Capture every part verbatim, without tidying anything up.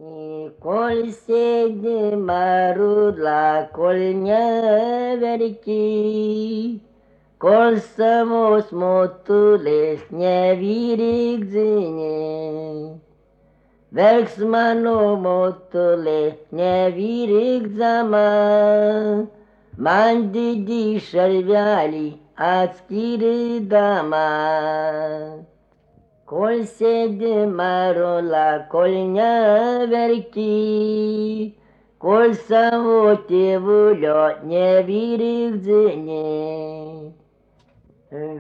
И коль седи марудла, коль не верки, коль само смотулес не вирик дзине, Verksmano motole ne viric zama, mandi di șerveali atskiri dama. Col sede marola col ne verki, col samo te vulio ne viric zine.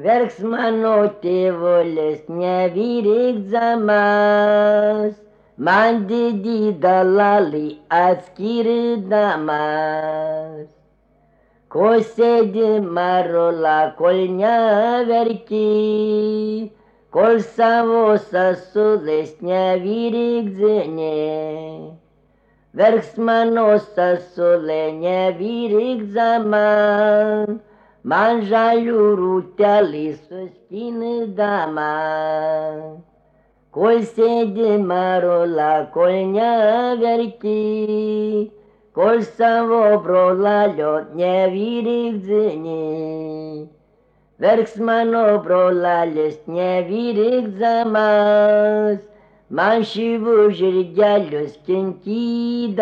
Verksmano te voles ne viric zamas, Mandi di dalali atskiri damas. Ko sedi marola kol neverki, kol savo sasules nevirik zene. Verksmano sasule nevirik zaman, man žalių rūtelį suskini dama. Kol sėdi marola, kol neverki, kol savo brolalio nevyrik dzini. Verksmano brolalis nevyrik zamas, man šyvų žirgelius kinkydamas.